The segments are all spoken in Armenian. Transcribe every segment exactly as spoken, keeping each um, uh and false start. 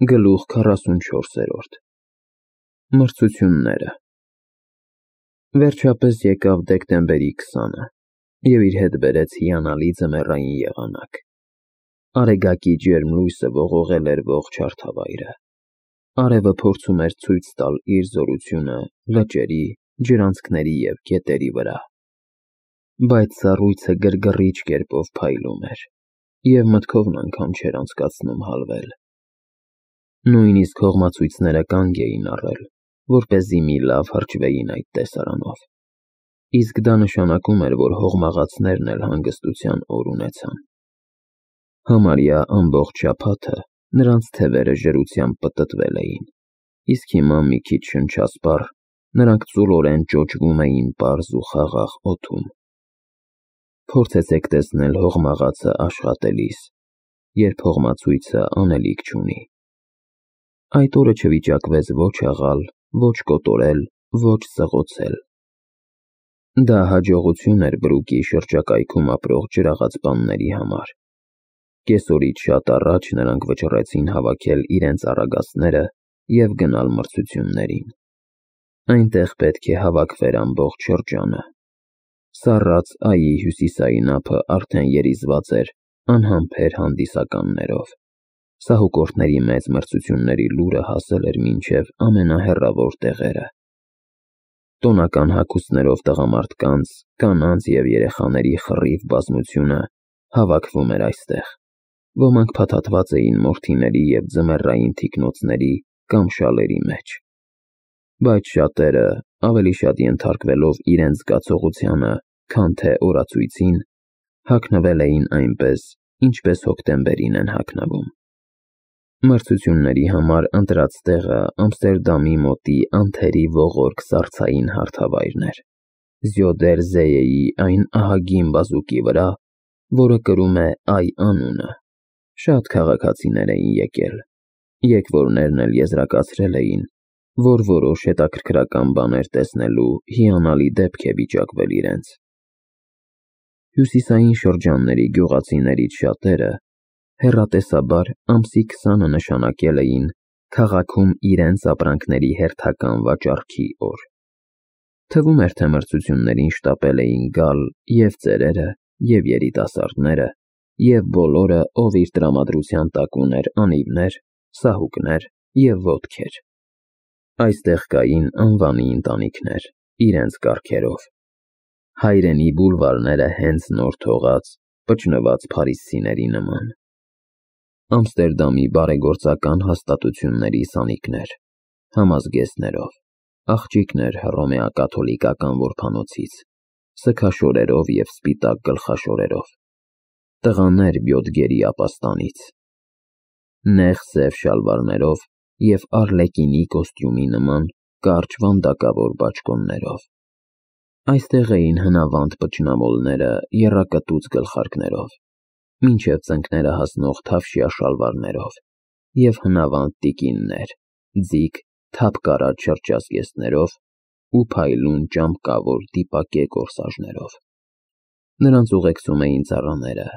Գլուխ քառասունչորսերորդ Մրցությունները Վերջապես եկավ դեկտեմբերի քսանը և իր հետ բերեց հիանալի ձմեռային եղանակ։ Արեգակի ջերմ լույսը ողողել էր ողջ հարթավայրը։ Արևը փորձում էր ցույց տալ իր զորությունը լճերի, ջրանցքների և գետերի վրա։ Բայց սառույցը գրգռիչ կերպով փայլում էր, և մտքովն անգամ չէր անցկացնում հալվել։ Նույնիսկ հողմացույցները կանգ էին առել, որպեսզի մի լավ հրճվեին այդ տեսարանով։ Իսկ դա նշանակում էր, որ հողմաղացներն էլ հանգստության օր ունեցան։ Համարյա ամբողջ շաբաթը նրանց թևերը ջրությամբ պտտվել էին, իսկ հիմա մի քիչ շնչասպառ նրանք ծուլորեն ճոճվում էին պարզ ու խաղաղ օդում։ Փորձեցեք տեսնել հողմաղացը աշխատելիս, երբ հողմացույցը անելիք չունի։ Այդ օրը չվիճակվեց ոչ աղալ, ոչ կոտորել, ոչ սղոցել։ Դա հաջողություն էր Բրուկի շրջակայքում ապրող ջրաղացպանների համար։ Կեսօրից շատ առաջ նրանք վճռեցին հավաքել իրենց առագաստները և գնալ մրցություններին։ Այնտեղ պետք է հավաքվեր ամբողջ շրջանը։ Սառած այի հյուսիսային ափը արդեն երիզված էր անհամբեր հանդիսականներով։ Սահուկորդների մեծ մրցությունների լուրը հասել էր մինչև ամենահեռավոր տեղերը։ Տոնական հագուստներով տղամարդկանց, կանանց և երեխաների խռիվ բազմությունը հավաքվում էր այստեղ։ Ոմանք փաթաթված էին մորթիների և ձմեռային թիկնոցների կամ շալերի մեջ։ Բայց շատերը, ավելի շատ ենթարկվելով իրենց զգացողությանը, քան թե օրացույցին, հագնվել էին այնպես, ինչպես հոկտեմբերին են հագնվում։ Մրցությունների համար ընտրած տեղը Ամստերդամի մոտի անթերի ողորկ սառցային հարթավայրն էր՝ Զյոդեր Զեյեի այն ահագին բազուկի վրա, որը կրում է Այ անունը։ Շատ քաղաքացիներ էին եկել, եկվորներն էլ եզրակացրել էին, որ որոշ հետաքրքրական բաներ տեսնելու հիանալի դեպք է վիճակվել իրենց։ Հյուսիսային շրջանների գյուղացիներից շատերը հեռատեսաբար ամսի քսանը նշանակել էին քաղաքում իրենց ապրանքների հերթական վաճառքի օր։ Թվում էր, թե մրցություններին շտապել էին գալ և ծերերը, և երիտասարդները, և բոլորը, ով իր տրամադրության տակ ուներ անիվներ, սահուկներ և ոտքեր։ Այստեղ կային անվանի ընտանիքներ, իրենց կառքերով։ Հայրենի բուլվարները հենց նոր թողած, պճնված փարիզցիների նման։ Ամստերդամի բարեգործական հաստատությունների սանիկներ, համազգեստներով, աղջիկներ հռոմեակաթոլիկական որբանոցից, սգաշորերով և սպիտակ գլխաշորերով, տղաներ Բյոդգերի ապաստանից, նեղ սև շալվարներով և արլեկինի կոստյումի նման կարճ վանդակավոր բաճկոններով։ Այստեղ էին հնավանդ պճնամոլները եռակտուց գլխարկներով, մինչև ծնկները հասնող թավշյա շալվարներով, և հնավանդ տիկիններ, ձիգ, թափկարած շրթչազգեստներով ու փայլուն ճամպկավոր դիպակե կորսաժներով։ Նրանց ուղեկցում էին ծառաները,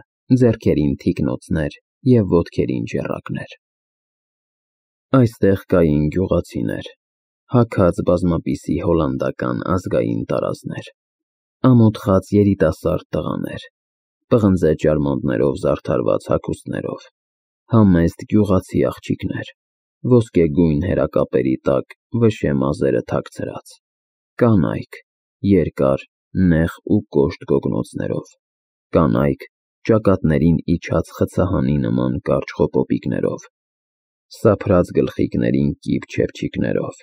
ձեռքերին թիկնոցներ և ոտքերին ջեռակներ։ Այստեղ կային գյուղացիներ, հագած բազմապիսի հոլանդական ազգային տարազներ, ամոթխած երիտասարդ տղաներ, պղնձե ճարմոնդներով զարդարված հագուստներով, համեստ գյուղացի աղջիկներ, ոսկեգույն հերակապերի տակ վշե մազերը թաքցրած, կանայք, երկար, նեղ ու կոշտ գոգնոցներով, կանայք ճակատներին իջած խցահանի նման կարճ խոպոպիկներով, սափրած գլխիկներին կիպ չեպչիկներով,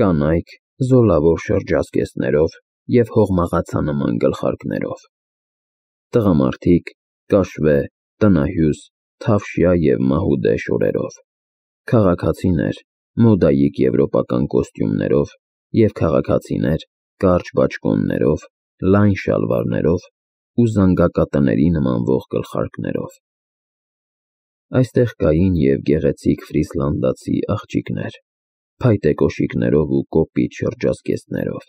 կանայք զոլավոր շրջազգեստներով և հողմաղացանման գլխարկներով, տղամարդիկ կաշվե, տնահյուս, թավշյա և մահուդե շորերով, քաղաքացիներ մոդայիկ եվրոպական կոստյումներով և քաղաքացիներ կարճ բաճկոններով, լայն շալվարներով ու զանգակատների նմանվող գլխարկներով։ Այստեղ կային և գեղեցիկ ֆրիսլանդացի աղջիկներ, փայտե կոշիկներով ու կոպիտ շրջազգեստներով։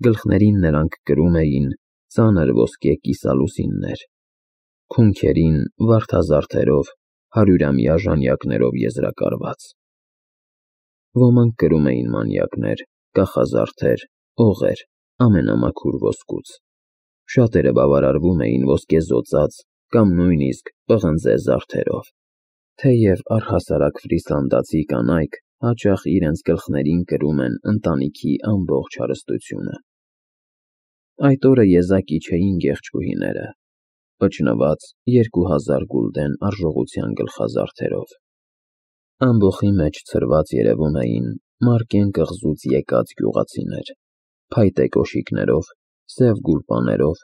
Գլխներին նրանք կրում էին ծանր ոսկե կիսալուսիններ, քունքերին վարդազարդերով հարյուրամյա ժանյակներով եզրակարված։ Ոմանք կրում էին մանյակներ, կախազարդեր, օղեր, ամենամաքուր ոսկուց։ Շատերը բավարարվում էին ոսկեզօծած կամ նույնիսկ պղնձե զարդերով։ Թեև առհասարակ ֆրիսլանդացի կանայք հաճախ իրենց գլխներին կրում են ընտանիքի ամբողջ հարստությունը։ Այդ օրը եզակի չէին գեղչուհիները, վճնված երկու հազար գուլդեն արժողության գլխազարդերով։ Ամբոխի մեջ ցրված երևում էին Մարկեն կղզուց եկած գյուղացիներ, փայտե կոշիկներով, սև գուլպաներով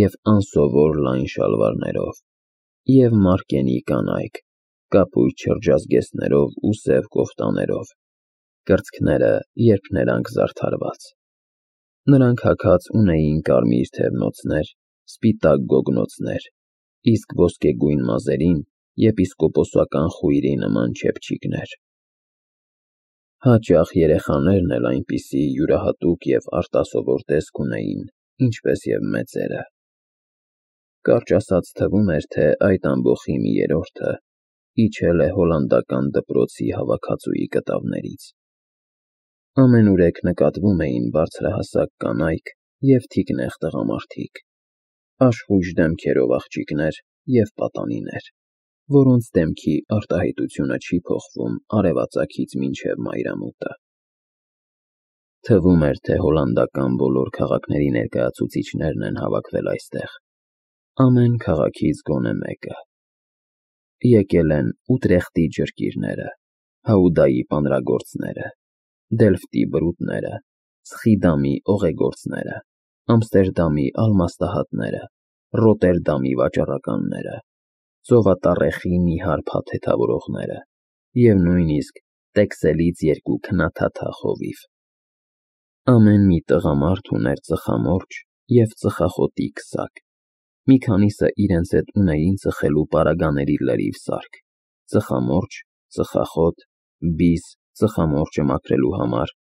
և անսովոր լայն շալվարներով, և Մարկենի կանայք, կապույտ շրջազգեստներով ու սև կոֆտաներով, կրծքները երբ նրանք զարդարված։ Նրանք հագած ունեին կարմիր թևնոցներ, սպիտակ գոգնոցներ, իսկ ոսկեգույն մազերին եպիսկոպոսական խույրի նման չեփչիկներ։ Հաճախ երեխաներն էլ այնպիսի յուրահատուկ և արտասովոր տեսք ունեին, ինչպես և մեծերը։ Կարճ ասած թվում էր, թե այդ ամբոխի մի երրորդը իջել է հոլանդական դպրոցի հավաքածուի կտավներից։ Ամենուրեք նկատվում էին բարձրահասակ կանայք և թիկնեղ տղամարդիկ, աշխույժ դեմքերով աղջիկներ և պատանիներ, որոնց դեմքի արտահայտությունը չի փոխվում արևածագից մինչև մայրամուտը։ Թվում էր, թե հոլանդական բոլոր քաղաքների ներկայացուցիչներն են հավաքվել այստեղ, ամեն քաղաքից գոնե մեկը։ Եկել են Ուտրեխտի ջրկիրները, Հաուդայի պանրագործները, Դելֆտի բրուտները, Սխիդամի օղեգործները, Ամստերդամի ալմաստահատները, Ռոտերդամի վաճառականները, Ծովատառեխի նիհար փաթեթավորողները և նույնիսկ Տեքսելից երկու քնաթաթա խովիվ։ Ամեն մի տղամարդ ուներ ծխամորճ և ծխախոտի քսակ, մի քանիսը իրենց հետ ունեին ծխելու պարագաների լրիվ սարք՝ ծխամորճ, ծխախոտ, բիս ծխամորճը մաքրելու համար,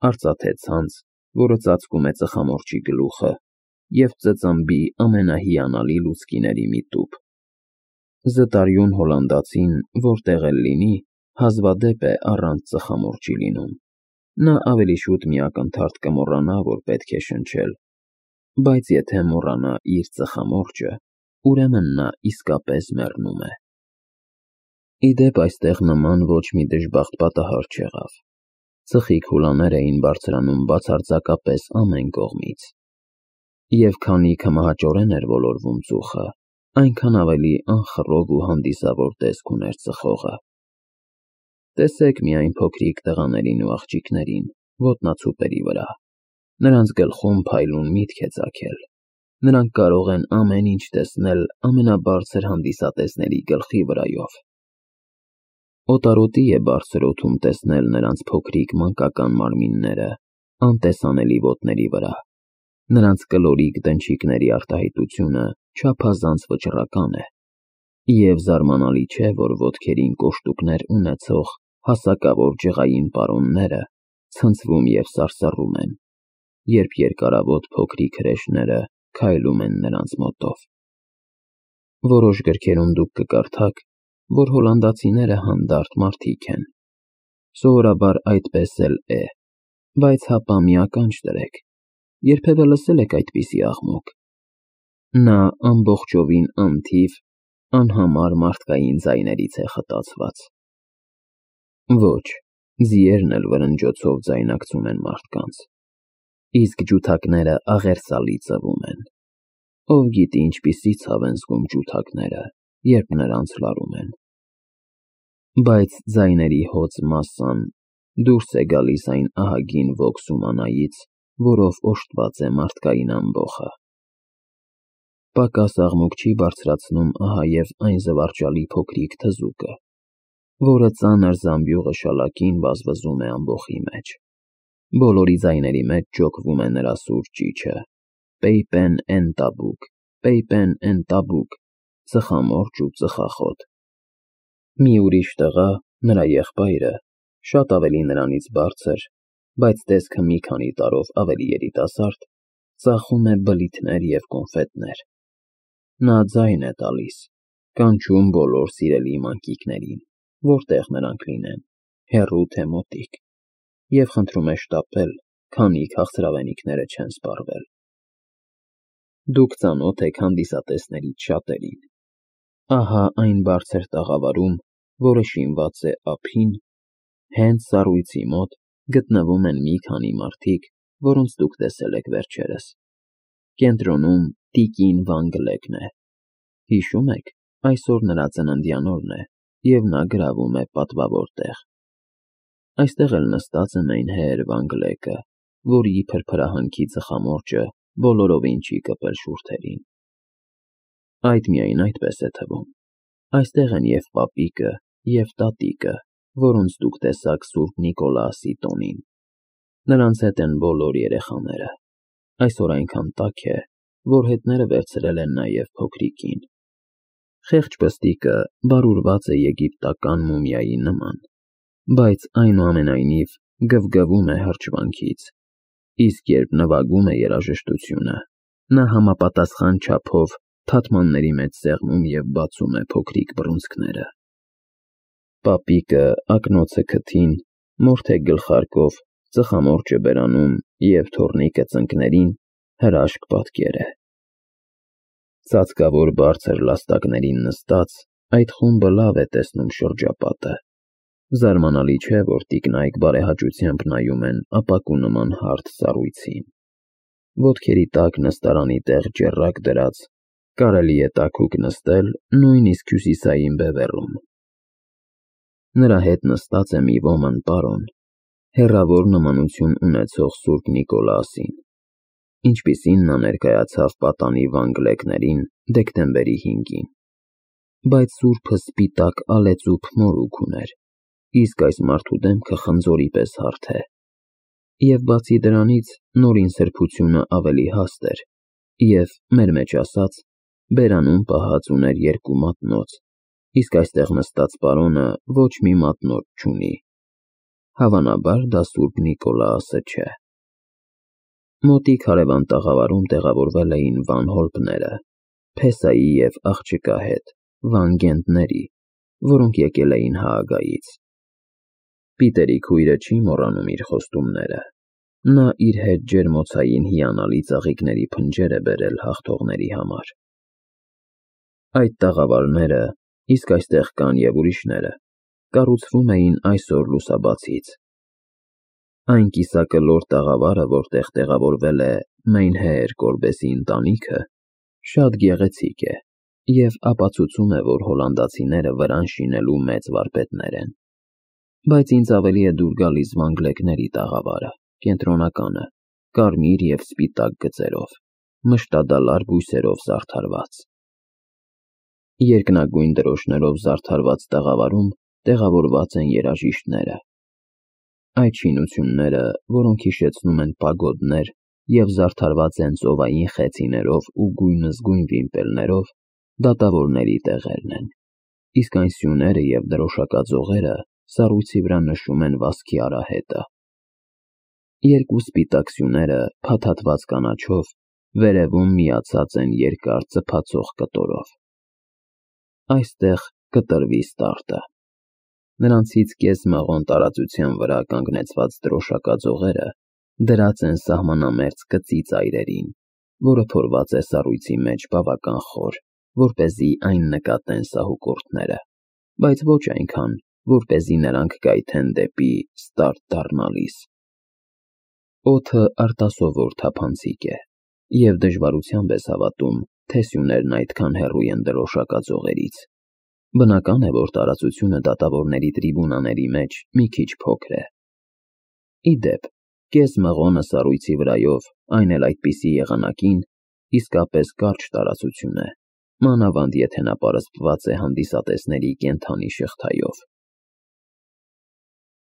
արծաթե ցանց, որը ծածկում է ծխամորճի գլուխը, և ծծմբի ամենահիանալի լուցկիների մի տուփ։ Զտարյուն հոլանդացին, որտեղ էլ լինի, հազվադեպ է առանց ծխամորճի լինում։ Նա ավելի շուտ մի ակնթարթ կմոռանա, որ պետք է շնչել, բայց եթե մոռանա իր ծխամորճը, ուրեմն նա իսկապես մեռնում է։ Ի դեպ, այստեղ նման ոչ մի դժբախտ պատահար չեղավ։ Ծխիկ հուլաներ էին բարձրանում բացարձակապես ամեն կողմից։ Եվ քանի քմահաճորեն էր ոլորվում ծուխը, այնքան ավելի անխռով ու հանդիսավոր տեսք ուներ ծխողը։ Տեսեք միայն փոքրիկ տղաներին ու աղջիկներին, ոտնացուպերի վրա։ Նրանց գլխում փայլուն միտք է ծագել։ Նրանք կարող են ամեն ինչ տեսնել ամենաբարձր հանդիսատեսների գլխի վրայով։ Օտարոտի է բարձր օդում տեսնել նրանց փոքրիկ մանկական մարմինները անտեսանելի ոտների վրա։ Նրանց կլորիկ դնչիկների արտահայտությունը չափազանց վճռական է, և զարմանալի չէ, որ ոտքերին կոշտուկներ ունեցող հասակավոր ջղային պարոնները ցնցվում և սարսռում են, երբ երկարավոտ փոքրիկ հրեշները քայլում են նրանց մոտով։ Որոշ գրքերում դուք կկարդաք, որ հոլանդացիները հանդարտ մարդիկ են։ Սովորաբար այդպես էլ է, բայց հապա մի ականջ դրեք, երբևէ լսել եք այդպիսի աղմուկ։ Նա ամբողջովին անթիվ, անհամար մարդկային ձայներից է խտացված։ Ոչ, ձիերն էլ վրնջոցով ձայնարկում են մարդկանց, իսկ ջութակները աղերսալի ծվում են։ Ով գիտի ինչպիսի ցավ են զգում ջութակները, երբ նրանց լարում են։ Բայց ձայների հոծ մասսան դուրս է գալիս այն ահագին ոգ սումանայից, որով օժտված է մարդկային ամբոխը։ Պակաս աղմուկ չի բարձրացնում ահա և այն զվարճալի փոքրիկ թզուկը, որը ծանր զամբյուղը շալակին վազվզում է ամբոխի մեջ։ Բոլորի ձայների մեջ ջոկվում է նրա սուր ճիչը. Պեյպեն֊էն֊տաբուկ, Պեյպեն֊էն֊տաբուկ, ծխամորճ ու ծխախոտ։ Մի ուրիշ տղա, նրա եղբայրը, շատ ավելի նրանից բարձր, բայց տեսքը մի քանի տարով ավելի երիտասարդ, ծախում է բլիթներ և կոնֆետներ։ Նա ձայն է տալիս, կանչում բոլոր սիրելի մանկիկներին, որտեղ նրանք լինեն, հեռու թե մոտիկ, և խնդրում է շտապել, քանի քաղցրավենիքները չեն սպառվել։ Դուք ծանոթ եք հանդիսատեսներից շատերին։ Ահա այն բարձր տաղավարում, որը շինված է ափին, հենց սառույցի մոտ գտնվում են մի քանի մարդիկ, որոնց դուք տեսել եք վերջերս։ Կենտրոնում տիկին Վան Գլեկն է։ Հիշում եք, այսօր նրա ծննդյան օրն է, և նա գրավում է պատվավոր տեղ։ Այստեղ էլ նստած է մայնհեր Վան Գլեկը, որի փրփրահանքի ծխամորճը բոլորովին չի կպել շուրթերին։ Այդ միայն այդպես է թվում։ Այստեղ են և պապիկը, և տատիկը, որոնց դուք տեսաք Սուրբ Նիկոլաուսի տոնին։ Նրանց հետ են բոլոր երեխաները։ Այսօր այնքան տաք է, որ հետները վերցրել են նաև փոքրիկին։ Խեղճ պստիկը բարուրված է եգիպտական մումիայի նման, բայց այնուամենայնիվ գվգվում է հրճվանքից, իսկ երբ նվագում է երաժշտությունը, նա համապատասխան չափով թաթմանների մեջ սեղմում և բացում է փոքրիկ բռունցքները։ Պապիկը ակնոցը քթին, մորթե գլխարկով, ծխամորճը բերանում և թոռնիկը ծնկներին հրաշք պատկեր է։ Ծածկավոր բարձր լաստակներին նստած, այդ խումբը լավ է տեսնում շրջապատը։ Զարմանալի չէ, որ տիկնայք բարեհաճությամբ նայում են ապակու նման հարթ սառույցին։ Ոտքերի տակ նստարանի տեղ ջեռակ դրած, կարելի է տաքուկ նստել նույնիսկ հյուսիսային բևեռում։ Նրա հետ նստած է մի ոմն պարոն, հեռավոր նմանություն ունեցող Սուրբ Նիկոլաուսին, ինչպիսին նա ներկայացավ պատանի Վան Գլեկներին դեկտեմբերի հինգին։ Բայց սուրբը սպիտակ ալեծուփ մորուք ուներ, իսկ այս մարդու դեմքը խնձորի պես հարթ է։ Եվ բացի դրանից, նորին սրբությունը ավելի հաստ էր, և, մեր մեջ ասած, բերանում պահած ուներ երկու մատնոց, իսկ այստեղ նստած պարոնը ոչ մի մատնոց չունի։ Հավանաբար դա Սուրբ Նիկոլաուսը չէ։ Մոտիկ հարևան տաղավարում տեղավորվել էին Վան Հոլպները, Փեսայի և աղջկա հետ, Վան Գենտների, որոնք եկել էին Հաագայից։ Պիտերի քույրը չի մոռանում իր խոստումները։ Նա իր հետ ջերմոցային հիանալի ծաղիկների փնջեր է բերել հաղթողների համար։ Այդ տաղավարները, իսկ այստեղ կան և ուրիշները, կառուցվում էին այսօր լուսաբացից։ Այն կիսակլոր տաղավարը, որտեղ տեղավորվել է Մայնհեր Կոլբեսի ընտանիքը, շատ գեղեցիկ է և ապացուցում է, որ հոլանդացիները վրան շինելու մեծ վարպետներ են։ Բայց ինձ ավելի է դուր գալիս Վան Գլեկների տաղավարը, կենտրոնականը, կարմիր և սպիտակ գծերով, մշտադալար բույսերով զարդարված։ Երկնագույն դրոշներով զարդարված տաղավարում տեղավորված են երաժիշտները։ Այդ շինությունները, որոնք հիշեցնում են պագոդներ և զարդարված են ծովային խեցիներով ու գույնզգույն վիմպելներով, դատավորների տեղերն են, իսկ այն սյուները և դրոշակաձողերը սառույցի վրա նշում են վազքի արահետը։ Երկու սպիտակ սյուները, փաթաթված կանաչով, վերևում միացած են երկար ծփացող կտորով։ Այստեղ կտրվի ստարտը։ Նրանցից կես մղոն տարածության վրա կանգնեցված դրոշակաձողերը դրած են սահմանամերձ կծի ծայրերին, որը փորված է սառույցի մեջ բավական խոր, որպեսզի այն նկատեն սահուկորդները, բայց ոչ այնքան, որպեսզի նրանք կայթեն դեպի ստարտ դառնալիս։ Օդը արտասովոր թափանցիկ է, և դժվարությամբ ես հավատում, թե սյուներն այդքան հեռու են դրոշակաձողերից։ Բնական է, որ տարածությունը դատավորների տրիբունաների մեջ մի քիչ փոքր է։ Ի դեպ, կես մղոնը սառույցի վրայով, այն էլ այդպիսի եղանակին, իսկապես կարճ տարածություն է, մանավանդ եթե նա պարսպված է հանդիսատեսների կենդանի շղթայով։